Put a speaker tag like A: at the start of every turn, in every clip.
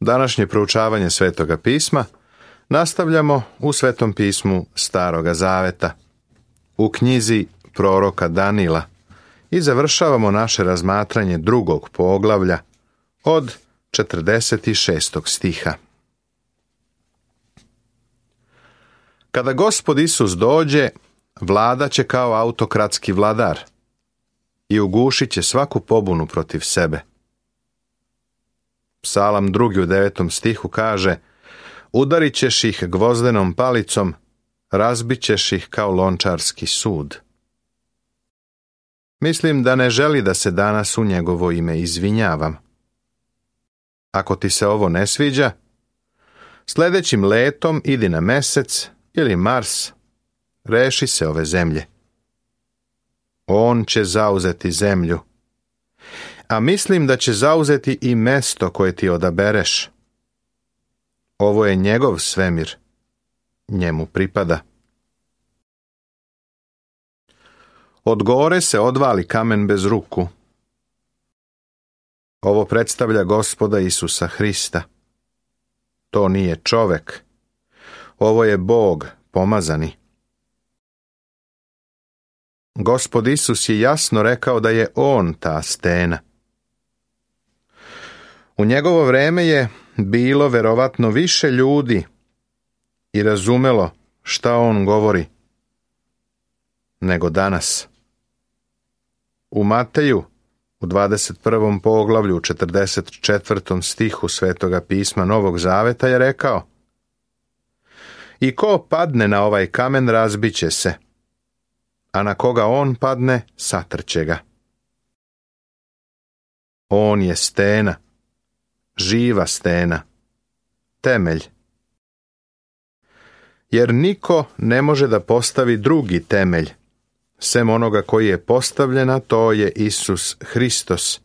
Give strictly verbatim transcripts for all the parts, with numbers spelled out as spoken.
A: Današnje proučavanje Svetoga pisma nastavljamo u Svetom pismu Staroga zaveta, u knjizi proroka Danila, i završavamo naše razmatranje drugog poglavlja od četrdeset šestog stiha. Kada Gospod Isus dođe, vladat će kao autokratski vladar i ugušit će svaku pobunu protiv sebe. Psalam drugi u devetom stihu kaže: udarit ćeš ih gvozdenom palicom, razbit ćeš ih kao lončarski sud. Mislim da ne želi da se danas u njegovo ime izvinjavam. Ako ti se ovo ne sviđa, sljedećim letom idi na Mesec ili Mars, reši se ove zemlje. On će zauzeti zemlju, a mislim da će zauzeti i mesto koje ti odabereš. Ovo je njegov svemir, njemu pripada. Od gore se odvali kamen bez ruku. Ovo predstavlja Gospoda Isusa Hrista. To nije čovek. Ovo je Bog pomazani. Gospod Isus je jasno rekao da je on ta stena. U njegovo vreme je bilo verovatno više ljudi i razumelo šta on govori nego danas. U Mateju, u dvadeset prvom poglavlju, u četrdeset četvrtom stihu Svetoga pisma Novog zaveta je rekao: i ko padne na ovaj kamen, razbit će se, a na koga on padne, satrće ga. On je stena, živa stena, temelj. Jer niko ne može da postavi drugi temelj, sem onoga koji je postavljen, a to je Isus Hristos,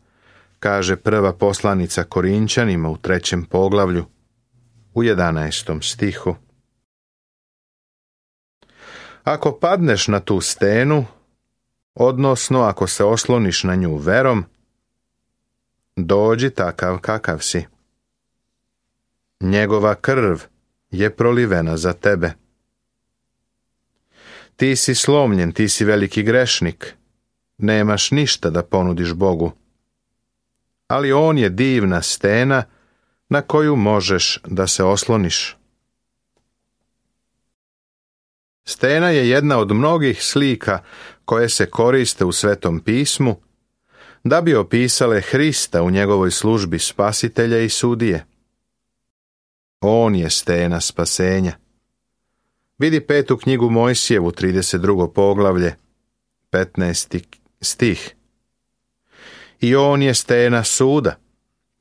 A: kaže prva poslanica Korinćanima u trećem poglavlju, u jedanaestom stihu. Ako padneš na tu stenu, odnosno ako se osloniš na nju verom, dođi takav kakav si. Njegova krv je prolivena za tebe. Ti si slomljen, ti si veliki grešnik, nemaš ništa da ponudiš Bogu. Ali on je divna stena na koju možeš da se osloniš. Stena je jedna od mnogih slika koje se koriste u Svetom pismu da bi opisale Hrista u njegovoj službi spasitelja i sudije. On je stena spasenja. Vidi petu knjigu Mojsijevu, trideset drugo poglavlje, petnaesti stih. I on je stena suda.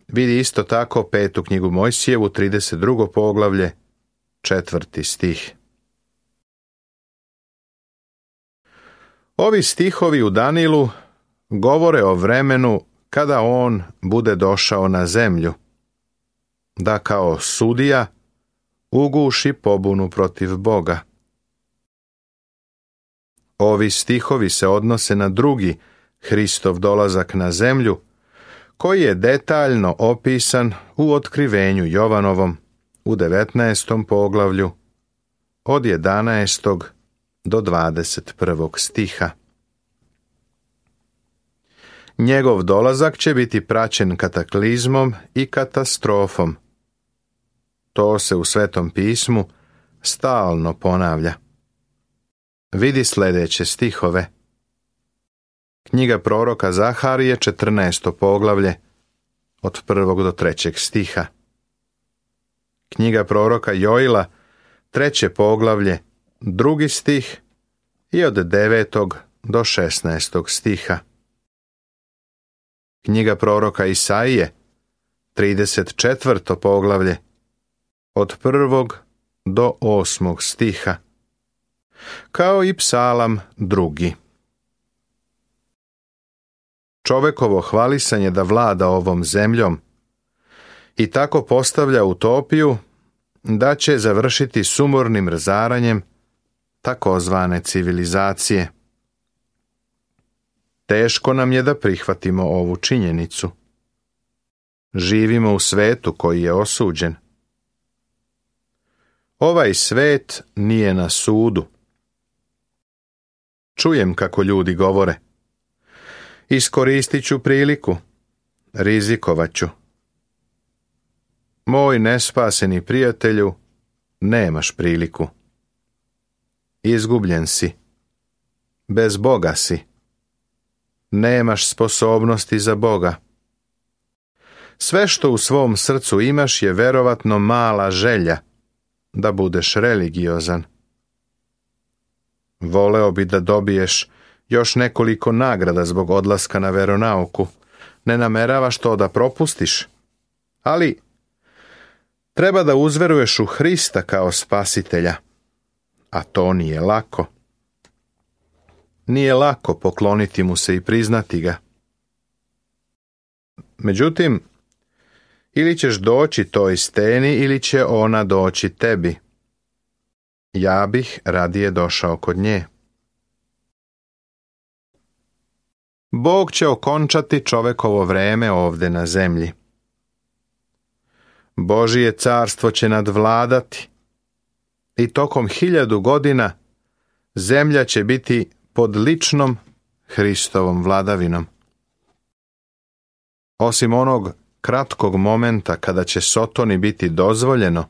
A: Vidi isto tako petu knjigu Mojsijevu, trideset drugo poglavlje, četvrti stih. Ovi stihovi u Danilu govore o vremenu kada on bude došao na zemlju, da kao sudija uguši pobunu protiv Boga. Ovi stihovi se odnose na drugi Hristov dolazak na zemlju, koji je detaljno opisan u Otkrivenju Jovanovom u devetnaestom poglavlju od jedanaestog do dvadeset prvog stiha. Njegov dolazak će biti praćen kataklizmom i katastrofom. To se u Svetom pismu stalno ponavlja. Vidi sljedeće stihove. Knjiga proroka Zaharije, četrnaesto poglavlje, od prvog do trećeg stiha. Knjiga proroka Joila, treće poglavlje, drugi stih i od devetog do šesnaestog stiha. Knjiga proroka Isaije, trideset četvrto poglavlje, od prvog do osmog stiha, kao i Psalam drugi. Čovekovo hvalisanje da vlada ovom zemljom i tako postavlja utopiju da će završiti sumornim razaranjem takozvane civilizacije. Teško nam je da prihvatimo ovu činjenicu. Živimo u svetu koji je osuđen. Ovaj svet nije na sudu. Čujem kako ljudi govore. Iskoristit ću priliku. Rizikovat ću. Moj nespaseni prijatelju, nemaš priliku. Izgubljen si. Bez Boga si. Nemaš sposobnosti za Boga. Sve što u svom srcu imaš je verovatno mala želja da budeš religiozan. Voleo bi da dobiješ još nekoliko nagrada zbog odlaska na veronauku. Ne nameravaš to da propustiš, ali treba da uzveruješ u Hrista kao spasitelja, a to nije lako. Nije lako pokloniti mu se i priznati ga. Međutim, ili ćeš doći toj steni ili će ona doći tebi. Ja bih radije došao kod nje. Bog će okončati čovekovo vreme ovde na zemlji. Božije carstvo će nadvladati i tokom hiljadu godina zemlja će biti pod ličnom Hristovom vladavinom. Osim onog kratkog momenta kada će Sotoni biti dozvoljeno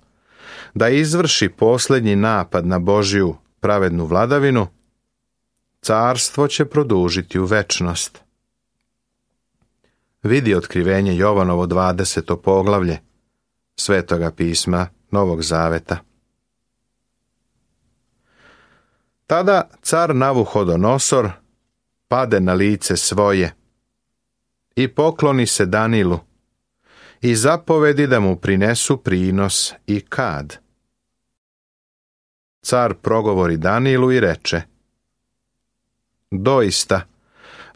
A: da izvrši posljednji napad na Božju pravednu vladavinu, carstvo će produžiti u večnost. Vidi otkrivenje Jovanovo dvadeseto poglavlje Svetoga pisma Novog Zaveta. Tada car Navuhodonosor pade na lice svoje i pokloni se Danilu i zapovedi da mu prinesu prinos i kad. Car progovori Danilu i reče: doista,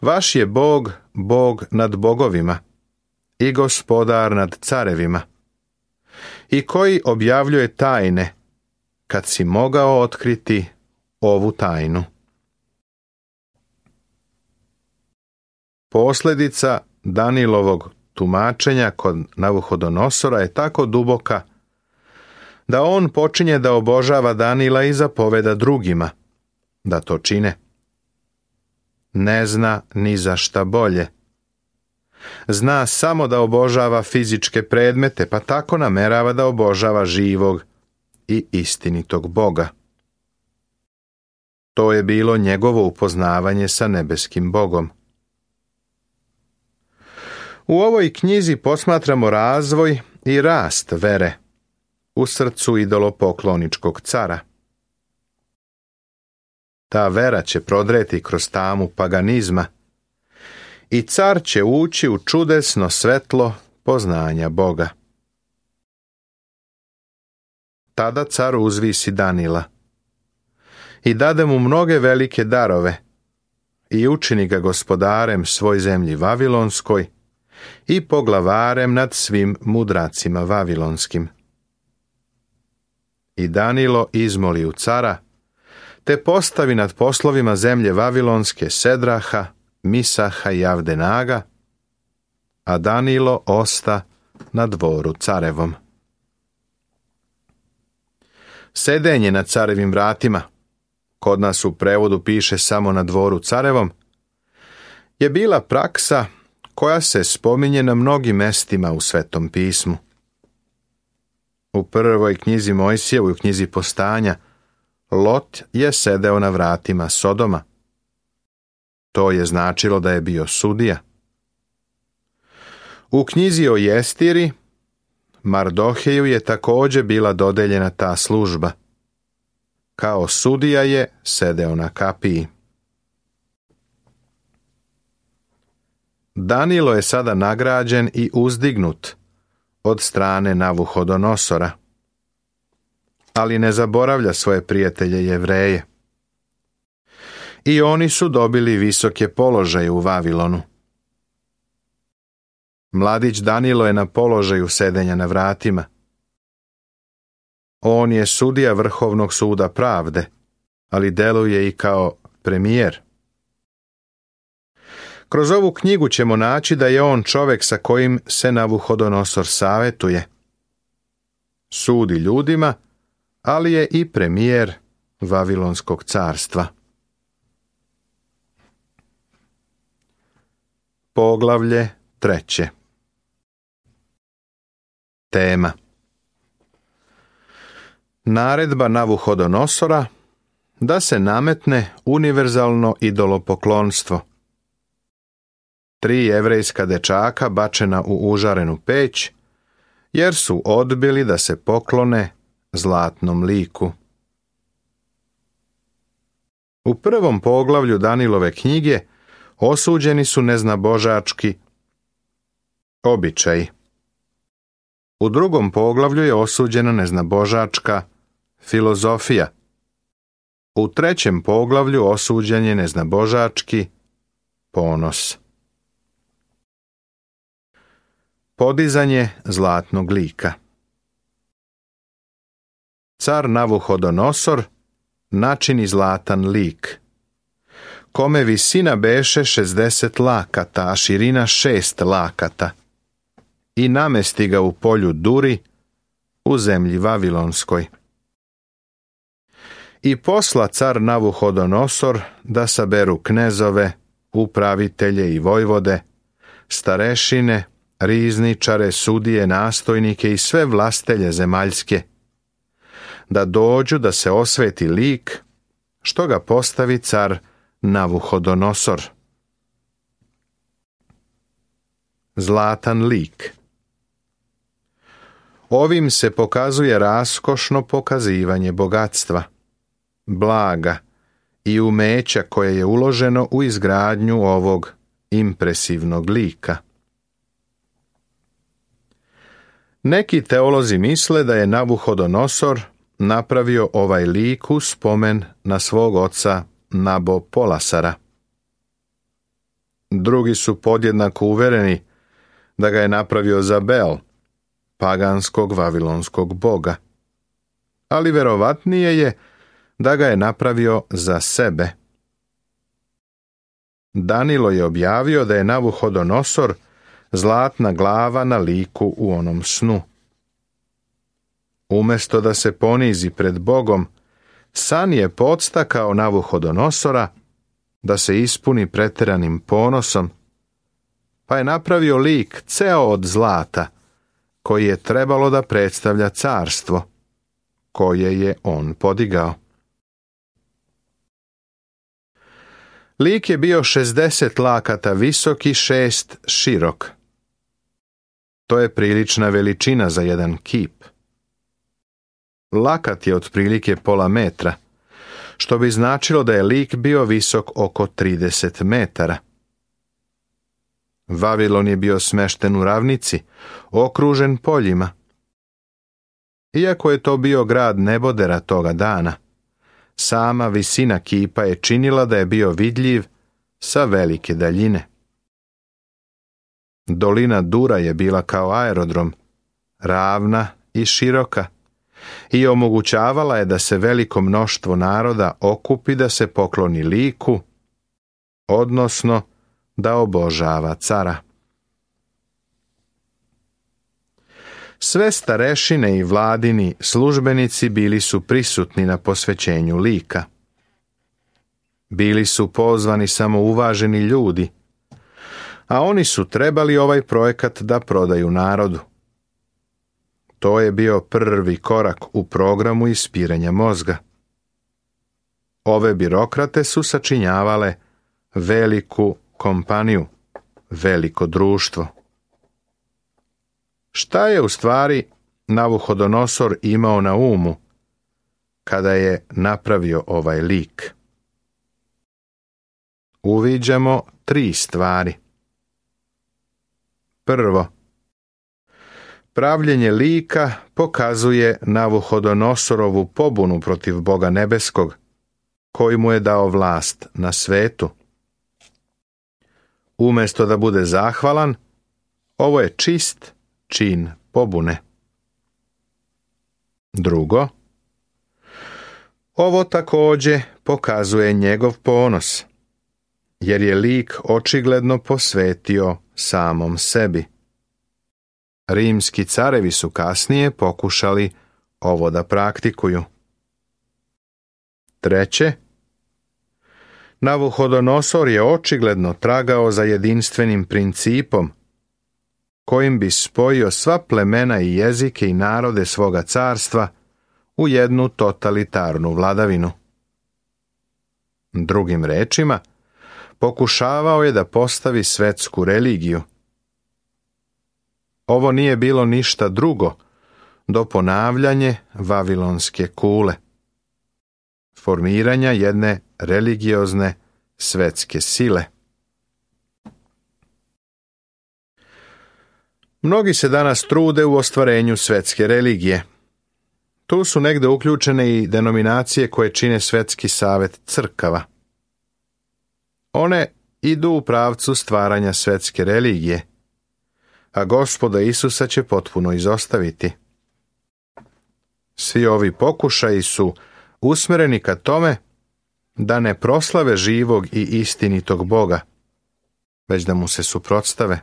A: vaš je Bog, Bog nad bogovima i gospodar nad carevima, i koji objavljuje tajne, kad si mogao otkriti ovu tajnu. Posljedica Danilovog tumačenja kod Navuhodonosora je tako duboka da on počinje da obožava Danila i zapoveda drugima da to čine. Ne zna ni za šta bolje. Zna samo da obožava fizičke predmete, pa tako namerava da obožava živog i istinitog Boga. To je bilo njegovo upoznavanje sa nebeskim Bogom. U ovoj knjizi posmatramo razvoj i rast vere u srcu idolopokloničkog cara. Ta vera će prodreti kroz tamu paganizma i car će ući u čudesno svetlo poznanja Boga. Tada car uzvisi Danila i dade mu mnoge velike darove i učini ga gospodarem svoj zemlji Vavilonskoj i poglavarem nad svim mudracima vavilonskim. I Danilo izmoli u cara, te postavi nad poslovima zemlje Vavilonske Sedraha, Misaha i Avdenaga, a Danilo osta na dvoru carevom. Sedenje na carevim vratima, kod nas u prevodu piše samo na dvoru carevom, je bila praksa koja se spominje na mnogim mestima u Svetom pismu. U prvoj knjizi Mojsijevoj, u knjizi Postanja, Lot je sedeo na vratima Sodoma. To je značilo da je bio sudija. U knjizi o Jestiri, Mardoheju je također bila dodeljena ta služba. Kao sudija je sedeo na kapiji. Danilo je sada nagrađen i uzdignut od strane Navuhodonosora, ali ne zaboravlja svoje prijatelje Jevreje. I oni su dobili visoke položaje u Vavilonu. Mladić Danilo je na položaju sedenja na vratima. On je sudija Vrhovnog suda pravde, ali deluje i kao premijer. Kroz ovu knjigu ćemo naći da je on čovjek sa kojim se Navuhodonosor savjetuje. Sudi ljudima, ali je i premijer Vavilonskog carstva. Poglavlje treće. Tema: naredba Navuhodonosora da se nametne univerzalno idolopoklonstvo. Tri jevrejska dečaka bačena u užarenu peć, jer su odbili da se poklone zlatnom liku. U prvom poglavlju Danilove knjige osuđeni su neznabožački običaji. U drugom poglavlju je osuđena neznabožačka filozofija. U trećem poglavlju osuđen je neznabožački ponos. Podizanje zlatnog lika. Car Navuhodonosor načini zlatan lik, kome visina beše šezdeset lakata, a širina šest lakata, i namesti ga u polju Duri, u zemlji Vavilonskoj. I posla car Navuhodonosor da saberu knezove, upravitelje i vojvode, starešine, rizničare, sudije, nastojnike i sve vlastelje zemaljske, da dođu da se osveti lik, što ga postavi car Navuhodonosor. Zlatan lik. Ovim se pokazuje raskošno pokazivanje bogatstva, blaga i umeća koje je uloženo u izgradnju ovog impresivnog lika. Neki teolozi misle da je Navuhodonosor napravio ovaj lik u spomen na svog oca Nabopolasara. Drugi su podjednako uvereni da ga je napravio za Bel, paganskog vavilonskog boga, ali verovatnije je da ga je napravio za sebe. Danilo je objavio da je Navuhodonosor zlatna glava na liku u onom snu. Umjesto da se ponizi pred Bogom, san je podstakao Navuhodonosora da se ispuni pretjeranim ponosom, pa je napravio lik ceo od zlata, koji je trebalo da predstavlja carstvo, koje je on podigao. Lik je bio šezdeset lakata visok i šest širok. To je prilična veličina za jedan kip. Lakat je otprilike pola metra, što bi značilo da je lik bio visok oko trideset metara. Vavilon je bio smešten u ravnici, okružen poljima. Iako je to bio grad nebodera toga dana, sama visina kipa je činila da je bio vidljiv sa velike daljine. Dolina Dura je bila kao aerodrom, ravna i široka, i omogućavala je da se veliko mnoštvo naroda okupi da se pokloni liku, odnosno da obožava cara. Sve starešine i vladini službenici bili su prisutni na posvećenju lika. Bili su pozvani samo uvaženi ljudi, a oni su trebali ovaj projekat da prodaju narodu. To je bio prvi korak u programu ispiranja mozga. Ove birokrate su sačinjavale veliku kompaniju, veliko društvo. Šta je u stvari Navuhodonosor imao na umu kada je napravio ovaj lik? Uviđamo tri stvari. Prvo, pravljenje lika pokazuje Navuhodonosorovu pobunu protiv Boga nebeskog, koji mu je dao vlast na svetu. Umjesto da bude zahvalan, ovo je čist čin pobune. Drugo, ovo također pokazuje njegov ponos, jer je lik očigledno posvetio samom sebi. Rimski carevi su kasnije pokušali ovo da praktikuju. Treće, Navuhodonosor je očigledno tragao za jedinstvenim principom, kojim bi spojio sva plemena i jezike i narode svoga carstva u jednu totalitarnu vladavinu. Drugim rečima, pokušavao je da postavi svetsku religiju. Ovo nije bilo ništa drugo do ponavljanje vavilonske kule, formiranja jedne religiozne svetske sile. Mnogi se danas trude u ostvarenju svetske religije. Tu su negde uključene i denominacije koje čine Svetski savet crkava. One idu u pravcu stvaranja svetske religije, a Gospoda Isusa će potpuno izostaviti. Svi ovi pokušaji su usmereni ka tome da ne proslave živog i istinitog Boga, već da mu se suprotstave.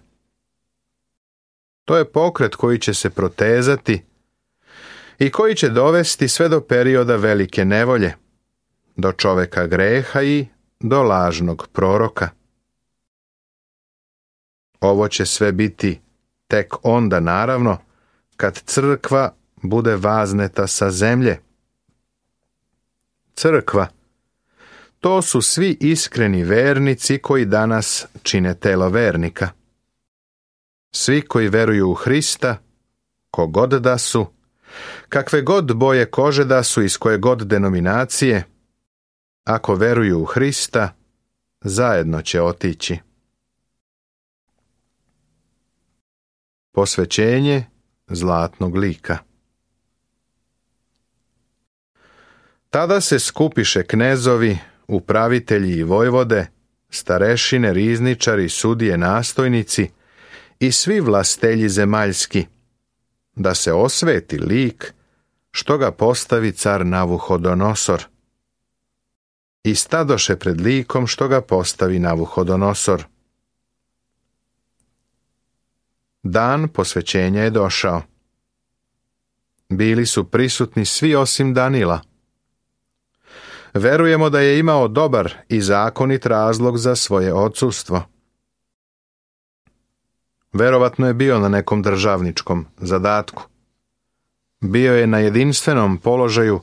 A: To je pokret koji će se protezati i koji će dovesti sve do perioda velike nevolje, do čoveka greha i do lažnog proroka. Ovo će sve biti tek onda, naravno, kad crkva bude vazneta sa zemlje. Crkva, to su svi iskreni vernici koji danas čine telo vernika. Svi koji veruju u Hrista, kogod da su, kakve god boje kože da su, iz koje god denominacije, ako veruju u Hrista, zajedno će otići. Posvećenje zlatnog lika. Tada se skupiše knezovi, upravitelji i vojvode, starešine, rizničari, sudije, nastojnici i svi vlastelji zemaljski, da se osveti lik što ga postavi car Navuhodonosor. I stadoše pred likom što ga postavi Navuhodonosor. Dan posvećenja je došao. Bili su prisutni svi osim Danila. Verujemo da je imao dobar i zakonit razlog za svoje odsustvo. Verovatno je bio na nekom državničkom zadatku. Bio je na jedinstvenom položaju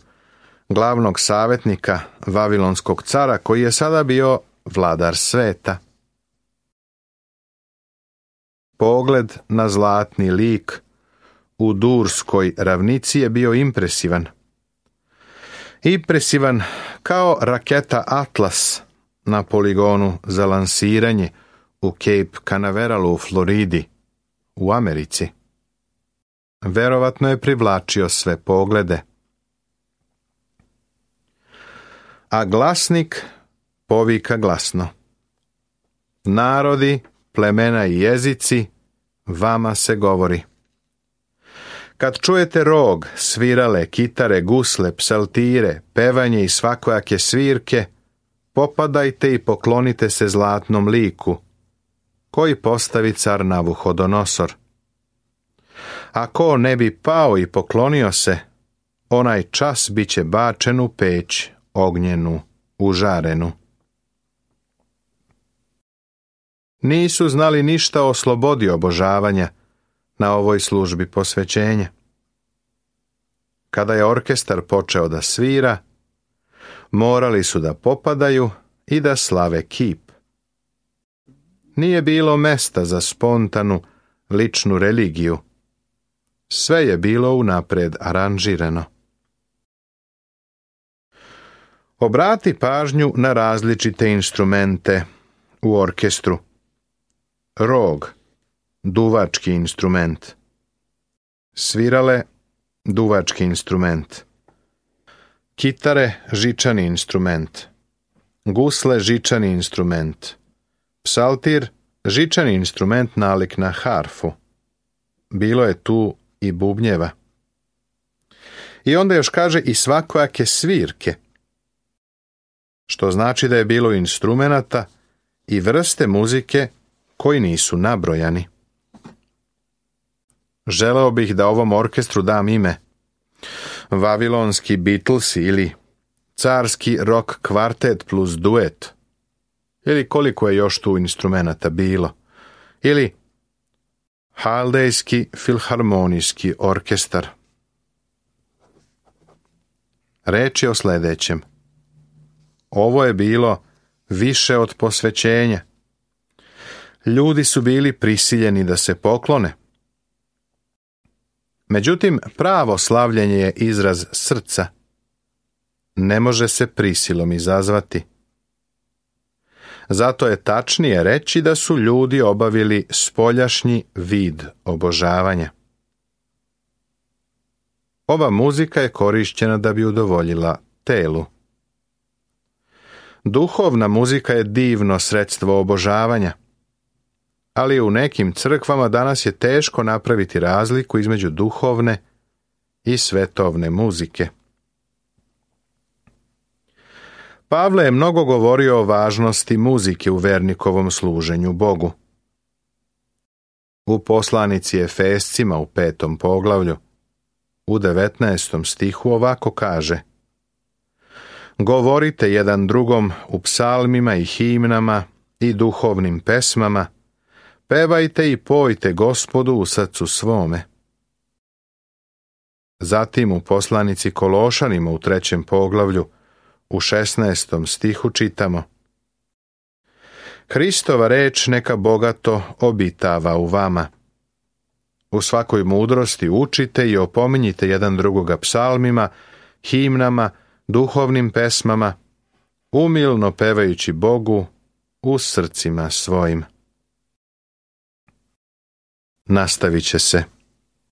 A: glavnog savjetnika Vavilonskog cara, koji je sada bio vladar sveta. Pogled na zlatni lik u Durskoj ravnici je bio impresivan. Impresivan kao raketa Atlas na poligonu za lansiranje u Cape Canaveralu u Floridi, u Americi. Verovatno je privlačio sve poglede. A glasnik povika glasno: narodi, plemena i jezici, vama se govori. Kad čujete rog, svirale, kitare, gusle, psaltire, pevanje i svakojake svirke, popadajte i poklonite se zlatnom liku, koji postavi car Navuhodonosor. A ko ne bi pao i poklonio se, onaj čas bit će bačen u peć ognjenu, užarenu. Nisu znali ništa o slobodi obožavanja na ovoj službi posvećenja. Kada je orkestar počeo da svira, morali su da popadaju i da slave kip. Nije bilo mesta za spontanu, ličnu religiju. Sve je bilo unapred aranžirano. Obrati pažnju na različite instrumente u orkestru. Rog, duvački instrument. Svirale, duvački instrument. Kitare, žičani instrument. Gusle, žičani instrument. Psaltir, žičani instrument nalik na harfu. Bilo je tu i bubnjeva. I onda još kaže i svakojake svirke, što znači da je bilo instrumenata i vrste muzike koji nisu nabrojani. Želeo bih da ovom orkestru dam ime Vavilonski Beatlesi ili Carski rock kvartet plus duet, ili koliko je još tu instrumenata bilo, ili Haldejski filharmonijski orkestar. Reč je o sljedećem. Ovo je bilo više od posvećenja. Ljudi su bili prisiljeni da se poklone. Međutim, pravo slavljenje je izraz srca. Ne može se prisilom izazvati. Zato je tačnije reći da su ljudi obavili spoljašnji vid obožavanja. Ova muzika je korišćena da bi udovoljila telu. Duhovna muzika je divno sredstvo obožavanja, ali u nekim crkvama danas je teško napraviti razliku između duhovne i svetovne muzike. Pavle je mnogo govorio o važnosti muzike u vernikovom služenju Bogu. U poslanici Efescima u petom poglavlju, u devetnaestom stihu ovako kaže: Govorite jedan drugom u psalmima i himnama i duhovnim pesmama, pevajte i pojte Gospodu u srcu svome. Zatim u poslanici Kološanima u trećem poglavlju, u šesnaestom stihu čitamo: Hristova reč neka bogato obitava u vama. U svakoj mudrosti učite i opominjite jedan drugoga psalmima, himnama, duhovnim pesmama, umilno pevajući Bogu u srcima svojim. Nastavit će se.